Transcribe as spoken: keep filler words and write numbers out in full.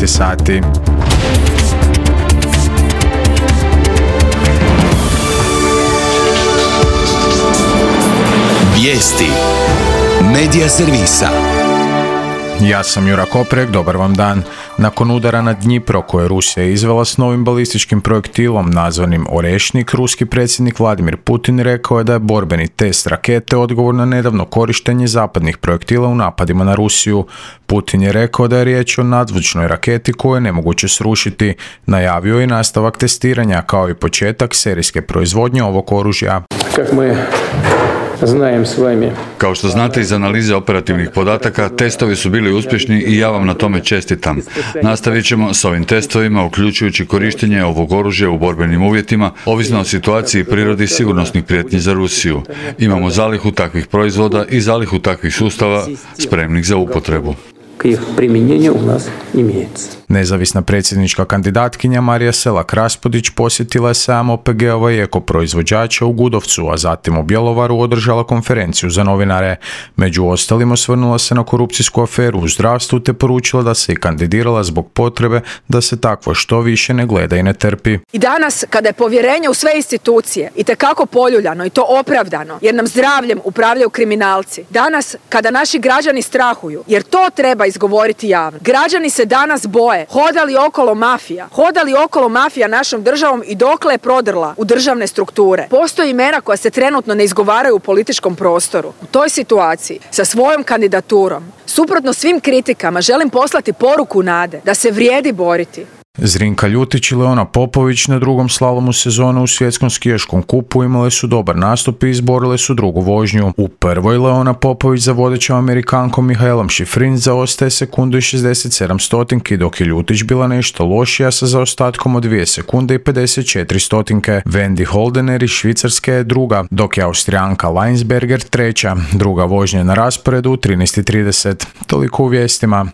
šesnaest sati. Vijesti Medija servisa. Ja sam Jura Koprek, dobar vam dan. Nakon udara na Dnjipro koje je Rusija izvela s novim balističkim projektilom nazvanim Orešnik, ruski predsjednik Vladimir Putin rekao je da je borbeni test rakete odgovor na nedavno korištenje zapadnih projektila u napadima na Rusiju. Putin je rekao da je riječ o nadzvučnoj raketi koju je nemoguće srušiti. Najavio je nastavak testiranja kao i početak serijske proizvodnje ovog oružja. Kako mi znajem s vami. Kao što znate iz analize operativnih podataka, testovi su bili uspješni i ja vam na tome čestitam. Nastavit ćemo s ovim testovima, uključujući korištenje ovog oružja u borbenim uvjetima, ovisno o situaciji i prirodi sigurnosnih prijetnji za Rusiju. Imamo zalihu takvih proizvoda i zalihu takvih sustava spremnih za upotrebu. Nezavisna predsjednička kandidatkinja Marija Selak-Raspudić posjetila je sajam O P G-ova i ekoproizvođača u Gudovcu, a zatim u Bjelovaru održala konferenciju za novinare. Među ostalim osvrnula se na korupcijsku aferu u zdravstvu te poručila da se i kandidirala zbog potrebe da se takvo što više ne gleda i ne trpi. I danas kada je povjerenje u sve institucije itekako poljuljano i to opravdano jer nam zdravljem upravljaju kriminalci, danas kada naši građani strahuju jer to treba izgovoriti javno. Građani se danas boje. Hoda li okolo mafija? Hoda li okolo mafija našom državom i dokle je prodrla u državne strukture? Postoji imena koja se trenutno ne izgovaraju u političkom prostoru. U toj situaciji, sa svojom kandidaturom, suprotno svim kritikama, želim poslati poruku nade da se vrijedi boriti. Zrinka Ljutić i Leona Popović na drugom slalomu sezone u svjetskom skijaškom kupu imale su dobar nastup i izborile su drugu vožnju. U prvoj Leona Popović za vodećom Amerikankom Mihaelom Šifrin zaostaje sekundu i šezdeset sedam stotinki, dok je Ljutić bila nešto lošija sa zaostatkom od dvije sekunde i pedeset četiri stotinke. Wendy Holdener iz Švicarske je druga, dok je Austrijanka Leinsberger treća. Druga vožnja na rasporedu u trinaest i trideset. Toliko u vijestima.